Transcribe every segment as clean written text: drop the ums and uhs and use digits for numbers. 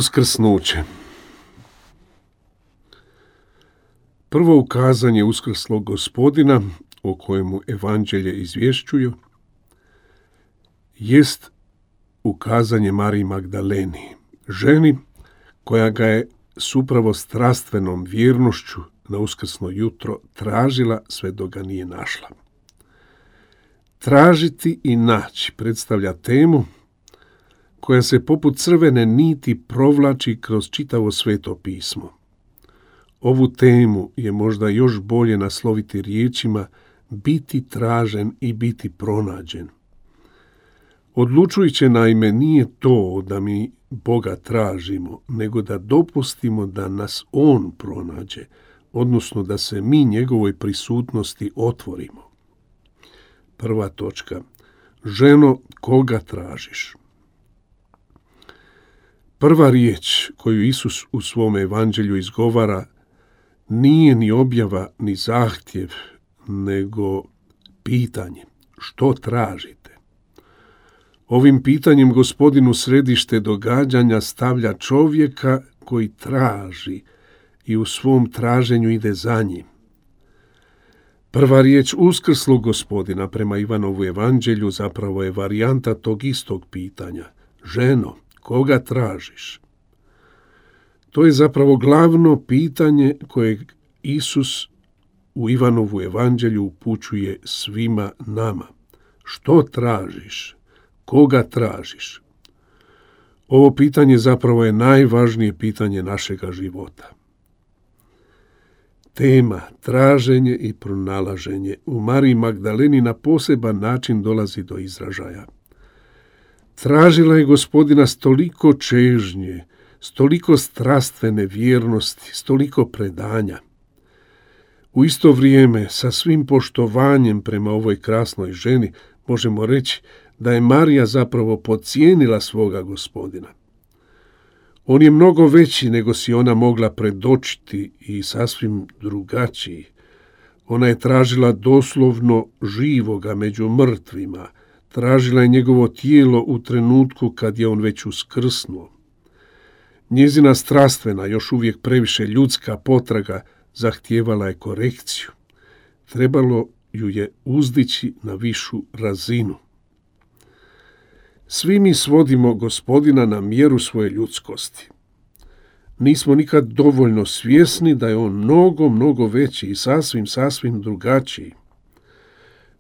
Uskrsnuće. Prvo ukazanje uskrslog Gospodina, o kojemu evanđelje izvješćuju, jest ukazanje Mariji Magdaleni, ženi koja ga je s upravo strastvenom vjernošću na uskrsno jutro tražila sve dok ga nije našla. Tražiti i naći predstavlja temu koja se poput crvene niti provlači kroz čitavo Sveto pismo. Ovu temu je možda još bolje nasloviti riječima biti tražen i biti pronađen. Odlučujuće naime nije to da mi Boga tražimo, nego da dopustimo da nas On pronađe, odnosno da se mi njegovoj prisutnosti otvorimo. Prva točka. Ženo, koga tražiš? Prva riječ koju Isus u svom evanđelju izgovara nije ni objava ni zahtjev, nego pitanje. Što tražite? Ovim pitanjem Gospodin u središte događanja stavlja čovjeka koji traži i u svom traženju ide za njim. Prva riječ uskrslog Gospodina prema Ivanovu evanđelju zapravo je varijanta tog istog pitanja. Ženo, koga tražiš? To je zapravo glavno pitanje koje Isus u Ivanovu evanđelju upućuje svima nama. Što tražiš? Koga tražiš? Ovo pitanje zapravo je najvažnije pitanje našega života. Tema traženje i pronalaženje u Mariji Magdaleni na poseban način dolazi do izražaja. Tražila je Gospodina s toliko čežnje, s toliko strastvene vjernosti, s toliko predanja. U isto vrijeme, sa svim poštovanjem prema ovoj krasnoj ženi, možemo reći da je Marija zapravo podcijenila svoga Gospodina. On je mnogo veći nego si ona mogla predočiti i sasvim drugačiji. Ona je tražila doslovno živoga među mrtvima, tražila je njegovo tijelo u trenutku kad je on već uskrsnuo. Njezina strastvena, još uvijek previše ljudska potraga zahtijevala je korekciju. Trebalo ju je uzdići na višu razinu. Svi mi svodimo Gospodina na mjeru svoje ljudskosti. Nismo nikad dovoljno svjesni da je on mnogo veći i sasvim drugačiji.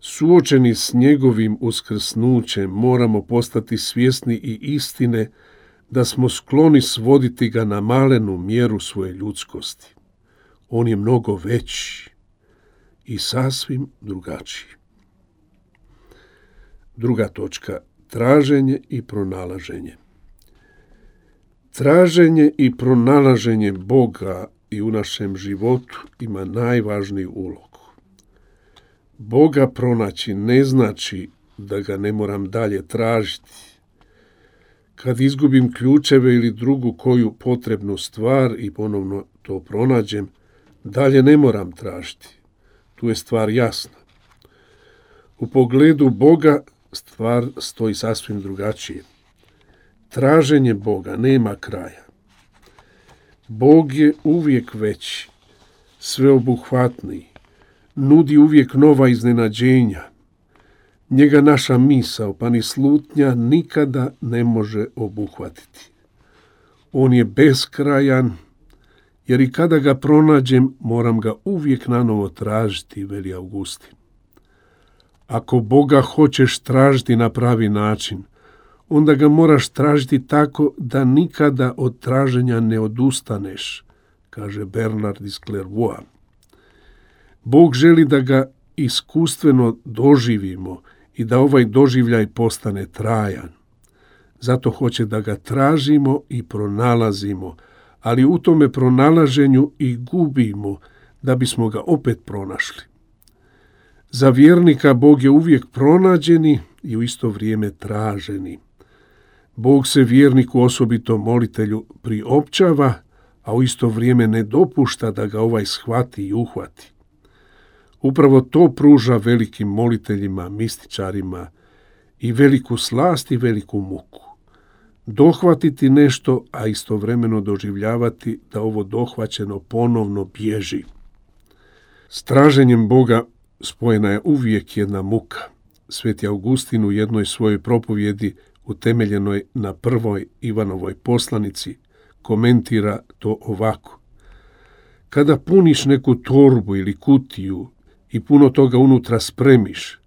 Suočeni s njegovim uskrsnućem moramo postati svjesni i istine da smo skloni svoditi ga na malenu mjeru svoje ljudskosti. On je mnogo veći i sasvim drugačiji. Druga točka. Traženje i pronalaženje. Traženje i pronalaženje Boga i u našem životu ima najvažniju ulogu. Boga pronaći ne znači da ga ne moram dalje tražiti. Kad izgubim ključeve ili drugu koju potrebnu stvar i ponovno to pronađem, dalje ne moram tražiti. Tu je stvar jasna. U pogledu Boga stvar stoji sasvim drugačije. Traženje Boga nema kraja. Bog je uvijek veći, sveobuhvatniji, nudi uvijek nova iznenađenja. Njega naša misao, pa ni slutnja nikada ne može obuhvatiti. On je beskrajan, jer i kada ga pronađem, moram ga uvijek nanovo tražiti, veli Augustin. Ako Boga hoćeš tražiti na pravi način, onda ga moraš tražiti tako da nikada od traženja ne odustaneš, kaže Bernard iz Clairvoya. Bog želi da ga iskustveno doživimo i da ovaj doživljaj postane trajan. Zato hoće da ga tražimo i pronalazimo, ali u tome pronalaženju i gubimo da bismo ga opet pronašli. Za vjernika Bog je uvijek pronađeni i u isto vrijeme traženi. Bog se vjerniku, osobito molitelju, priopćava, a u isto vrijeme ne dopušta da ga ovaj shvati i uhvati. Upravo to pruža velikim moliteljima, mističarima i veliku slast i veliku muku. Dohvatiti nešto, a istovremeno doživljavati da ovo dohvaćeno ponovno bježi. S traženjem Boga spojena je uvijek jedna muka. Sveti Augustin u jednoj svojoj propovjedi utemeljenoj na prvoj Ivanovoj poslanici komentira to ovako. Kada puniš neku torbu ili kutiju i puno toga unutra spremiš,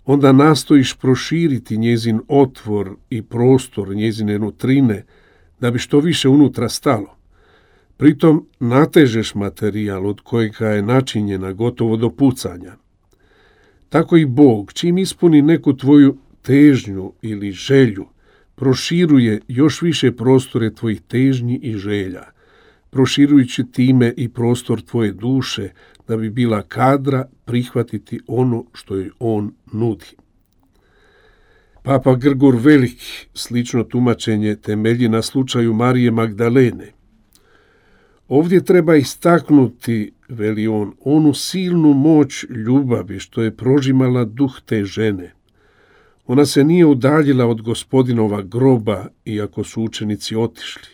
onda nastojiš proširiti njezin otvor i prostor njezine nutrine da bi što više unutra stalo. Pritom natežeš materijal od kojega je načinjena gotovo do pucanja. Tako i Bog, čim ispuni neku tvoju težnju ili želju, proširuje još više prostore tvojih težnji i želja, proširujući time i prostor tvoje duše da bi bila kadra prihvatiti ono što joj on nudi. Papa Grgur Veliki slično tumačenje temelji na slučaju Marije Magdalene. Ovdje treba istaknuti, veli on, onu silnu moć ljubavi što je prožimala duh te žene. Ona se nije udaljila od Gospodinova groba, iako su učenici otišli.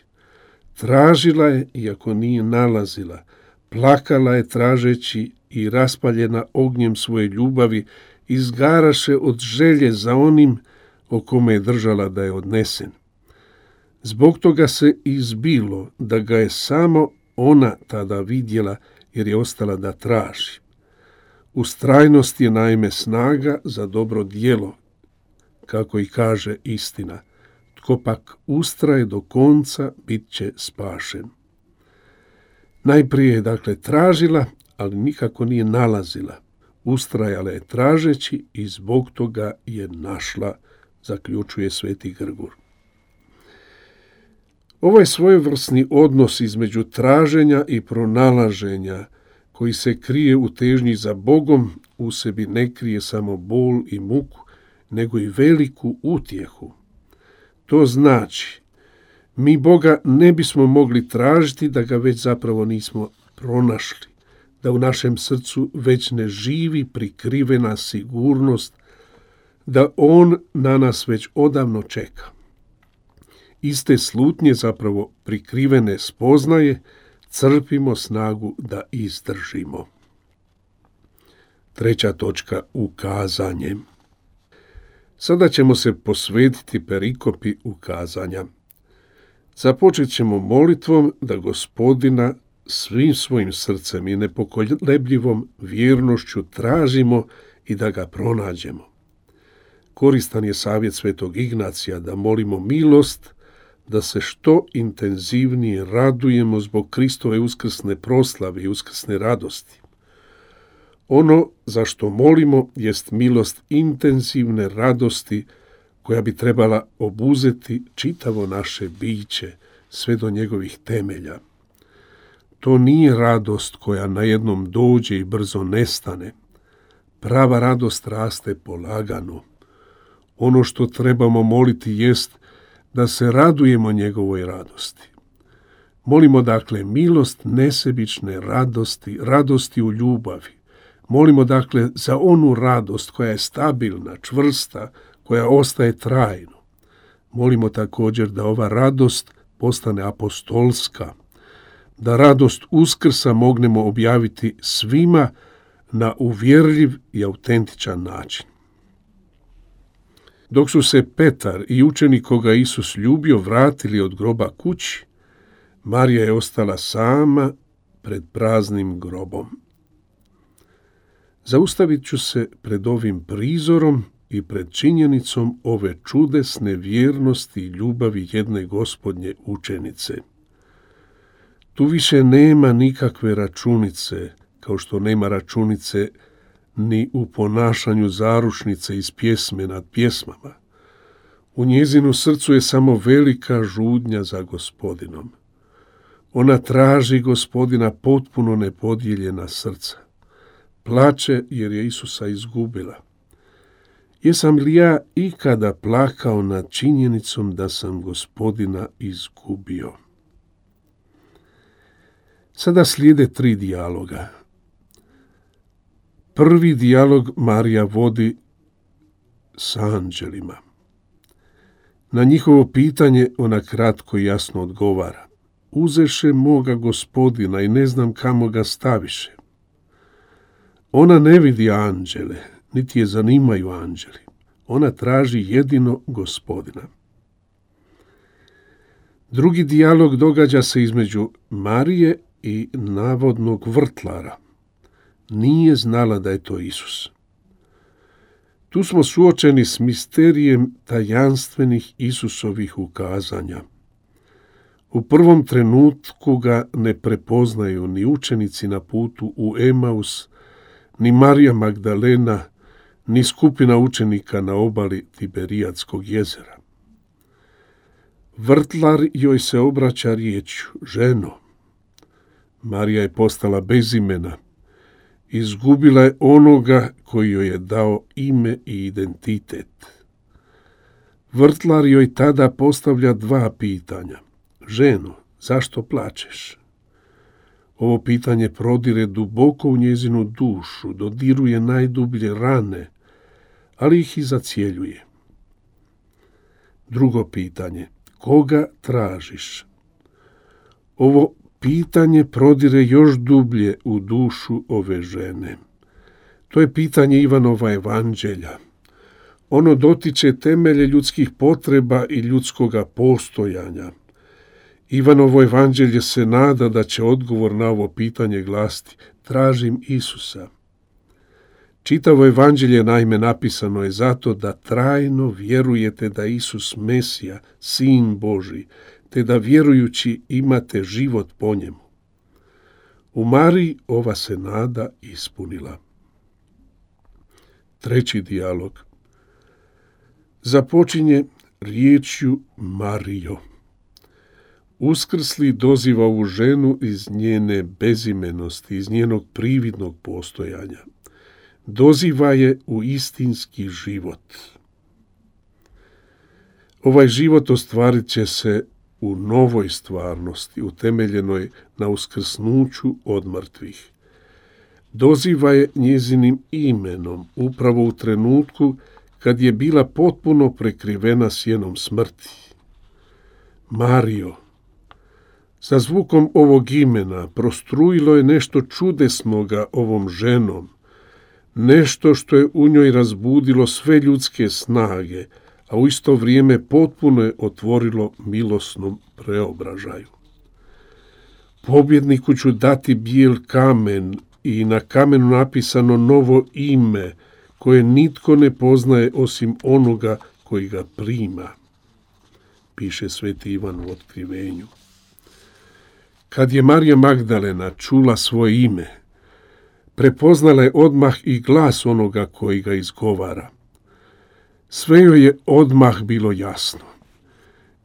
Tražila je, iako nije nalazila. Plakala je tražeći i raspaljena ognjem svoje ljubavi, izgaraše od želje za onim o kome je držala da je odnesen. Zbog toga se izbilo da ga je samo ona tada vidjela, jer je ostala da traži. Ustrajnost je naime snaga za dobro djelo, kako i kaže istina. Tko pak ustraje do konca, bit će spašen. Najprije je dakle tražila, ali nikako nije nalazila. Ustrajala je tražeći i zbog toga je našla, zaključuje Sveti Grgur. Ovaj svojevrsni odnos između traženja i pronalaženja, koji se krije u težnji za Bogom, u sebi ne krije samo bol i muku, nego i veliku utjehu. To znači, mi Boga ne bismo mogli tražiti da ga već zapravo nismo pronašli, da u našem srcu već ne živi prikrivena sigurnost, da on na nas već odavno čeka. Iz te slutnje, zapravo prikrivene spoznaje, crpimo snagu da izdržimo. 3. točka, ukazanje. Sada ćemo se posvetiti perikopi ukazanja. Započet ćemo molitvom da Gospodina svim svojim srcem i nepokolebljivom vjernošću tražimo i da ga pronađemo. Koristan je savjet Svetog Ignacija da molimo milost, da se što intenzivnije radujemo zbog Kristove uskrsne proslave i uskrsne radosti. Ono za što molimo jest milost intenzivne radosti koja bi trebala obuzeti čitavo naše biće sve do njegovih temelja. To nije radost koja najednom dođe i brzo nestane. Prava radost raste polagano. Ono što trebamo moliti jest da se radujemo njegovoj radosti. Molimo dakle milost nesebične radosti, radosti u ljubavi. Molimo dakle za onu radost koja je stabilna, čvrsta, koja ostaje trajno. Molimo također da ova radost postane apostolska, da radost Uskrsa mognemo objaviti svima na uvjerljiv i autentičan način. Dok su se Petar i učenik koga Isus ljubio vratili od groba kući, Marija je ostala sama pred praznim grobom. Zaustavit ću se pred ovim prizorom i pred činjenicom ove čudesne vjernosti i ljubavi jedne Gospodnje učenice. Tu više nema nikakve računice, kao što nema računice ni u ponašanju zaručnice iz pjesme nad pjesmama. U njezinu srcu je samo velika žudnja za Gospodinom. Ona traži Gospodina potpuno nepodijeljena srca. Plače jer je Isusa izgubila. Jesam li ja ikada plakao nad činjenicom da sam Gospodina izgubio? Sada slijede 3 dijaloga. Prvi dijalog Marija vodi s anđelima. Na njihovo pitanje ona kratko i jasno odgovara. Uzeše moga Gospodina i ne znam kamo ga staviše. Ona ne vidi anđele, niti je zanimaju anđeli. Ona traži jedino Gospodina. Drugi dijalog događa se između Marije i navodnog vrtlara. Nije znala da je to Isus. Tu smo suočeni s misterijem tajanstvenih Isusovih ukazanja. U prvom trenutku ga ne prepoznaju ni učenici na putu u Emaus, ni Marija Magdalena, ni skupina učenika na obali Tiberijadskog jezera. Vrtlar joj se obraća riječju: ženo. Marija je postala bez imena. Izgubila je onoga koji joj je dao ime i identitet. Vrtlar joj tada postavlja 2 pitanja. Ženo, zašto plačeš? Ovo pitanje prodire duboko u njezinu dušu, dodiruje najdublje rane, ali ih i zacjeljuje. Drugo pitanje, koga tražiš? Ovo pitanje prodire još dublje u dušu ove žene. To je pitanje Ivanova evanđelja. Ono dotiče temelje ljudskih potreba i ljudskoga postojanja. Ivanovo evanđelje se nada da će odgovor na ovo pitanje glasiti: tražim Isusa. Čitavo evanđelje naime napisano je zato da trajno vjerujete da Isus Mesija, Sin Božji, te da vjerujući imate život po njemu. U Mariji ova se nada ispunila. Treći dijalog započinje riječju Marijo. Uskrsli doziva ovu ženu iz njene bezimenosti, iz njenog prividnog postojanja. Doziva je u istinski život. Ovaj život ostvarit će se u novoj stvarnosti, utemeljenoj na uskrsnuću od mrtvih. Doziva je njezinim imenom, upravo u trenutku kad je bila potpuno prekrivena sjenom smrti. Marijo. Sa zvukom ovog imena prostrujilo je nešto čudesnoga ovom ženom, nešto što je u njoj razbudilo sve ljudske snage, a u isto vrijeme potpuno je otvorilo milosnom preobražaju. Pobjedniku ću dati bijel kamen i na kamenu napisano novo ime, koje nitko ne poznaje osim onoga koji ga prima, piše sveti Ivan u Otkrivenju. Kad je Marija Magdalena čula svoje ime, prepoznala je odmah i glas onoga koji ga izgovara. Sve joj je odmah bilo jasno.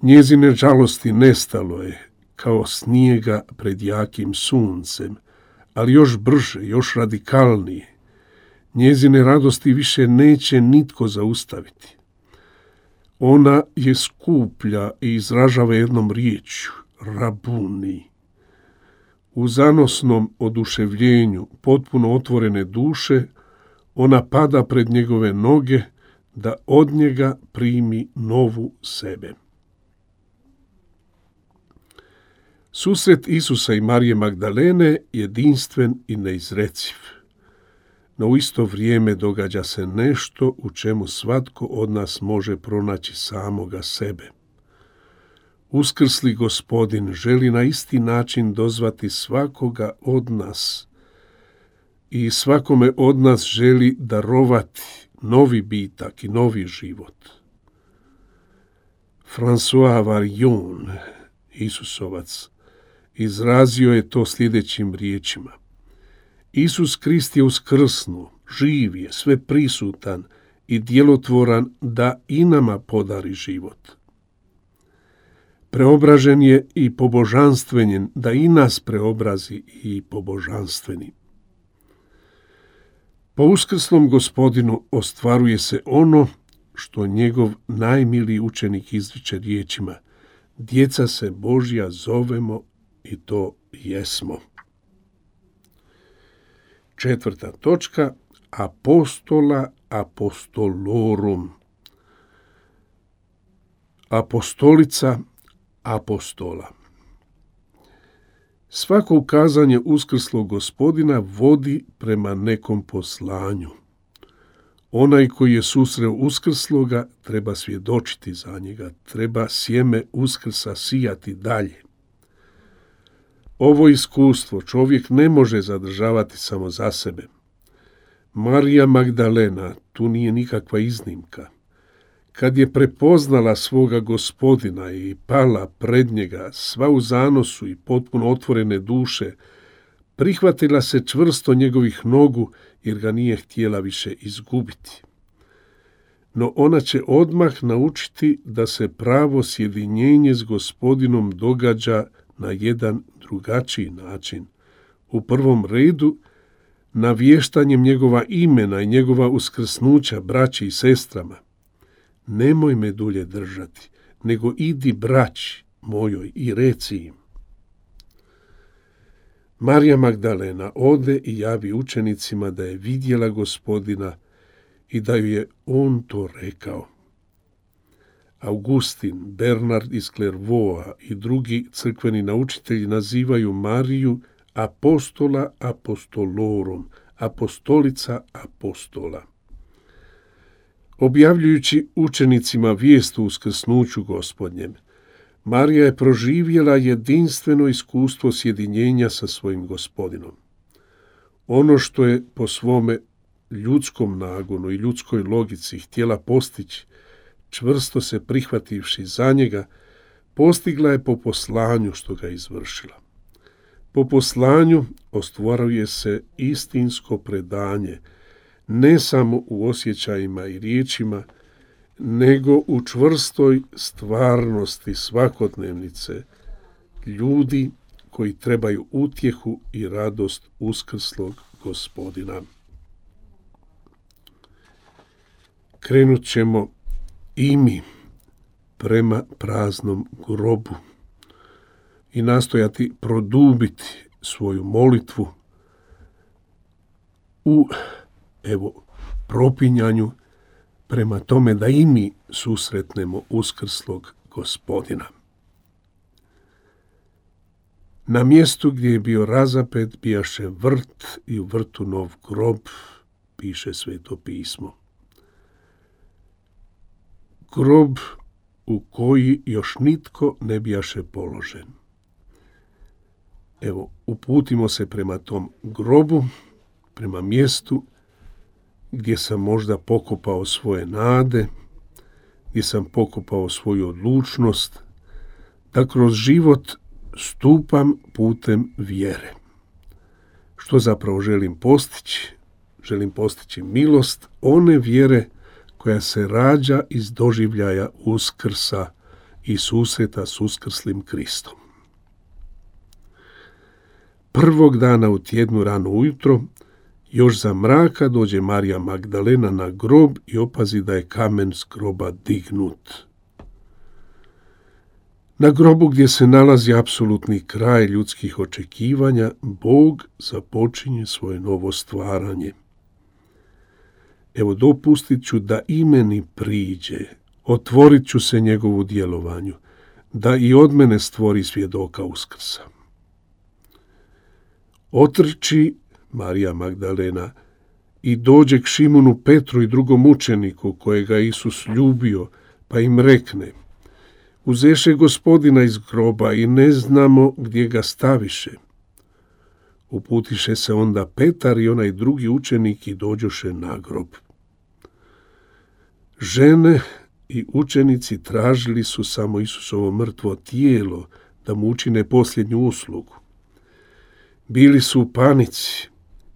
Njezine žalosti nestalo je, kao snijega pred jakim suncem, ali još brže, još radikalnije. Njezine radosti više neće nitko zaustaviti. Ona je skuplja i izražava jednom riječju, rabuni. U zanosnom oduševljenju potpuno otvorene duše, ona pada pred njegove noge da od njega primi novu sebe. Susret Isusa i Marije Magdalene jedinstven i neizreciv. No u isto vrijeme događa se nešto u čemu svatko od nas može pronaći samoga sebe. Uskrsli Gospodin želi na isti način dozvati svakoga od nas i svakome od nas želi darovati novi bitak i novi život. François Varillon, Isusovac, izrazio je to sljedećim riječima. Isus Krist je uskrsnuo, živ je, sve prisutan i djelotvoran da i nama podari život. Preobražen je i pobožanstvenjen da i nas preobrazi i pobožanstveni. Po uskrsnom Gospodinu ostvaruje se ono što njegov najmiliji učenik izriče riječima: djeca se Božja zovemo i to jesmo. Četvrta točka, apostola apostolorum. Apostolica apostola. Svako ukazanje uskrslog Gospodina vodi prema nekom poslanju. Onaj koji je susreo uskrsloga treba svjedočiti za njega, treba sjeme uskrsa sijati dalje. Ovo iskustvo čovjek ne može zadržavati samo za sebe. Marija Magdalena tu nije nikakva iznimka. Kad je prepoznala svoga Gospodina i pala pred njega, sva u zanosu i potpuno otvorene duše, prihvatila se čvrsto njegovih nogu jer ga nije htjela više izgubiti. No ona će odmah naučiti da se pravo sjedinjenje s Gospodinom događa na jedan drugačiji način. U prvom redu, navještanjem njegova imena i njegova uskrsnuća braći i sestrama. Nemoj me dulje držati, nego idi braći mojoj i reci im. Marija Magdalena ode i javi učenicima da je vidjela Gospodina i da ju je on to rekao. Augustin, Bernard iz Clairvauxa i drugi crkveni naučitelji nazivaju Mariju apostola apostolorum, apostolica apostola. Objavljujući učenicima vijest o uskrsnuću Gospodnjem, Marija je proživjela jedinstveno iskustvo sjedinjenja sa svojim Gospodinom. Ono što je po svome ljudskom nagonu i ljudskoj logici htjela postići, čvrsto se prihvativši za njega, postigla je po poslanju što ga izvršila. Po poslanju ostvaruje se istinsko predanje, ne samo u osjećajima i riječima, nego u čvrstoj stvarnosti svakodnevnice ljudi koji trebaju utjehu i radost uskrslog Gospodina. Krenut ćemo i mi prema praznom grobu i nastojati produbiti svoju molitvu u propinjanju prema tome da i mi susretnemo uskrslog Gospodina. Na mjestu gdje je bio razapet bijaše vrt i u vrtu nov grob, piše Sveto pismo. Grob u koji još nitko ne bijaše položen. Uputimo se prema tom grobu, prema mjestu gdje sam možda pokopao svoje nade, gdje sam pokopao svoju odlučnost, da kroz život stupam putem vjere. Što zapravo želim postići? Želim postići milost one vjere koja se rađa iz doživljaja uskrsa i susreta s uskrslim Kristom. Prvog dana u tjednu rano ujutro, još za mraka, dođe Marija Magdalena na grob i opazi da je kamen s groba dignut. Na grobu gdje se nalazi apsolutni kraj ljudskih očekivanja, Bog započinje svoje novo stvaranje. Dopustit ću da i meni priđe, otvorit ću se njegovu djelovanju, da i od mene stvori svjedoka uskrsa. Otrči Marija Magdalena i dođe k Šimunu Petru i drugom učeniku kojega Isus ljubio, pa im rekne: uzeše Gospodina iz groba i ne znamo gdje ga staviše. Uputiše se onda Petar i onaj drugi učenik i dođoše na grob. Žene i učenici tražili su samo Isusovo mrtvo tijelo da mu učine posljednju uslugu. Bili su u panici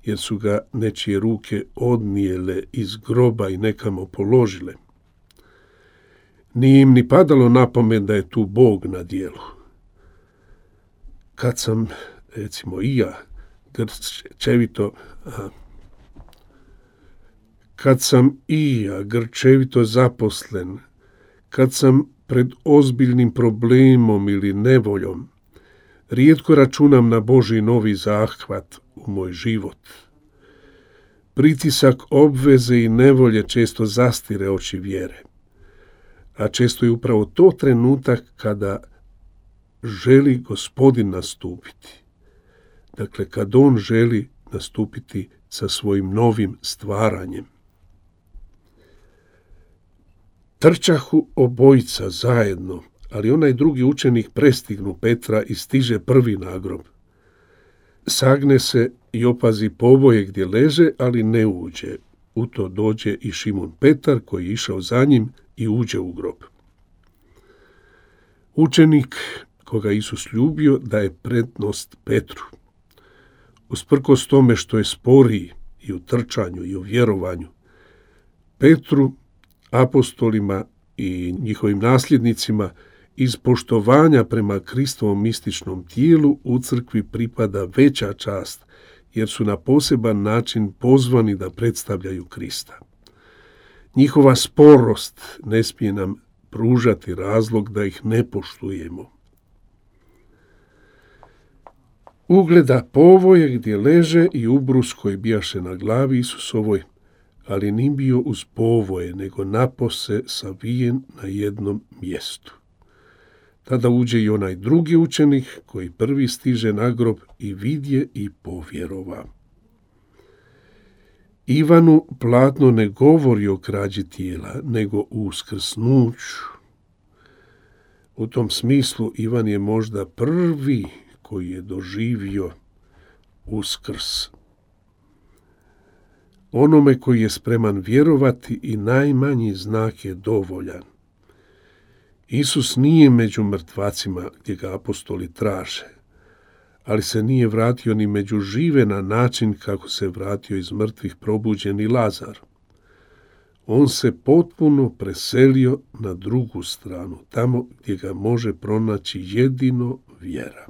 jer su ga nečije ruke odnijele iz groba i nekamo položile. Nije im ni padalo na pamet da je tu Bog na djelu. Kad sam, recimo i ja, grčevito zaposlen, kad sam pred ozbiljnim problemom ili nevoljom, rijetko računam na Božji novi zahvat u moj život. Pritisak obveze i nevolje često zastire oči vjere, a često je upravo to trenutak kada želi Gospodin nastupiti. Dakle, kad on želi nastupiti sa svojim novim stvaranjem. Trčahu obojica zajedno, ali onaj drugi učenik prestignu Petra i stiže prvi na grob. Sagne se i opazi poboje gdje leže, ali ne uđe. U to dođe i Šimun Petar koji je išao za njim i uđe u grob. Učenik koga Isus ljubio daje prednost Petru. Usprkos tome što je sporiji i u trčanju i u vjerovanju, Petru, apostolima i njihovim nasljednicima iz poštovanja prema Kristovom mističnom tijelu u crkvi pripada veća čast, jer su na poseban način pozvani da predstavljaju Krista. Njihova sporost ne smije nam pružati razlog da ih ne poštujemo. Ugleda povoje gdje leže i ubrus koji bijaše na glavi Isusovoj, ali ni bio uz povoje, nego napose savijen na jednom mjestu. Tada uđe i onaj drugi učenik koji prvi stiže na grob i vidje i povjerova. Ivanu platno ne govori o krađi tijela, nego o uskrsnuću. U tom smislu Ivan je možda prvi koji je doživio uskrs. Onome koji je spreman vjerovati i najmanji znak je dovoljan. Isus nije među mrtvacima gdje ga apostoli traže, ali se nije vratio ni među žive na način kako se vratio iz mrtvih probuđeni Lazar. On se potpuno preselio na drugu stranu, tamo gdje ga može pronaći jedino vjera.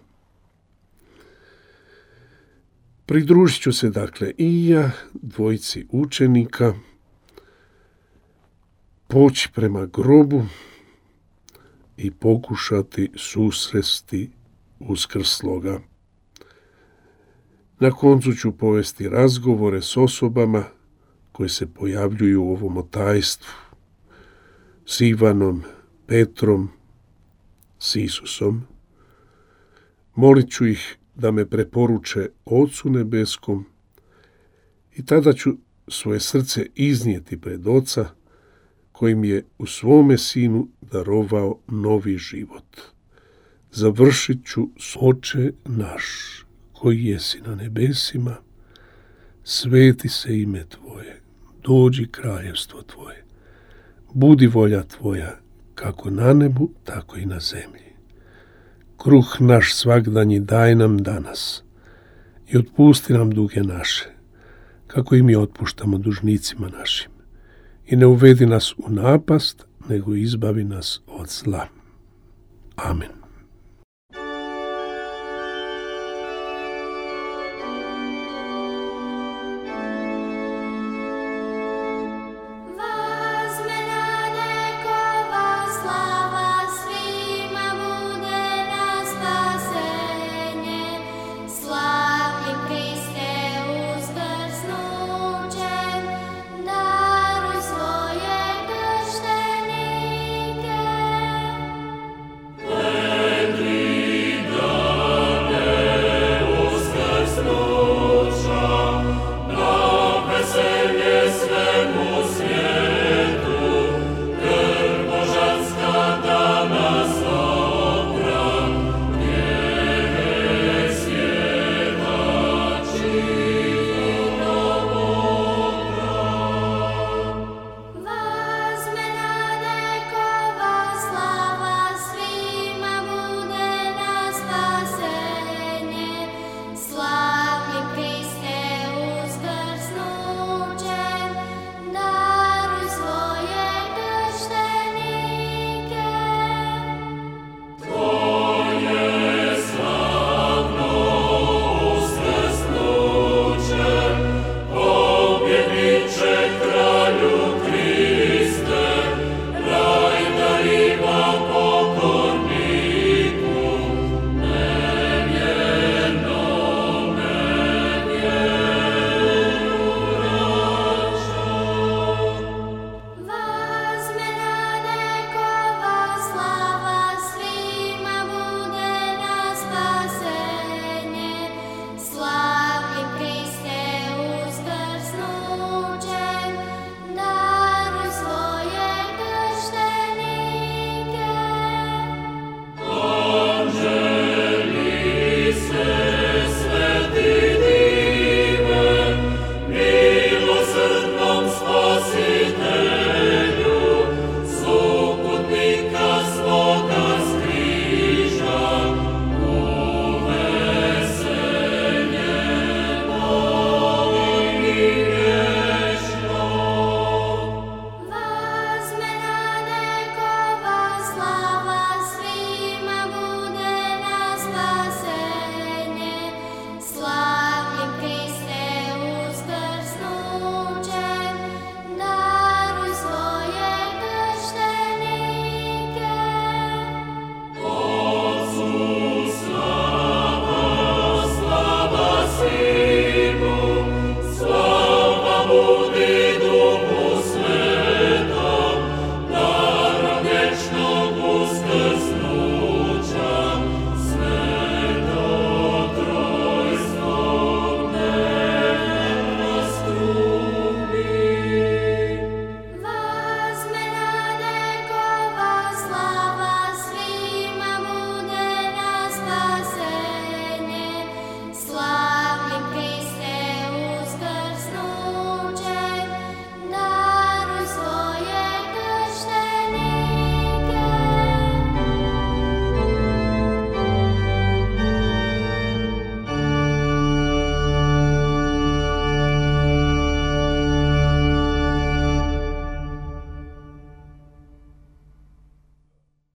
Pridružit ću se dakle i ja dvojici učenika, poći prema grobu i pokušati susresti uskrsloga. Na koncu ću povesti razgovore s osobama koje se pojavljuju u ovom otajstvu, s Ivanom, Petrom, s Isusom. Molit ću ih da me preporuče Ocu nebeskom i tada ću svoje srce iznijeti pred Oca kojim je u svome Sinu darovao novi život. Završit ću s Oče naš, koji jesi na nebesima, sveti se ime Tvoje, dođi kraljevstvo Tvoje, budi volja Tvoja, kako na nebu, tako i na zemlji. Kruh naš svagdanji daj nam danas i otpusti nam duge naše, kako i mi otpuštamo dužnicima našim. I ne uvedi nas u napast, nego izbavi nas od zla. Amen.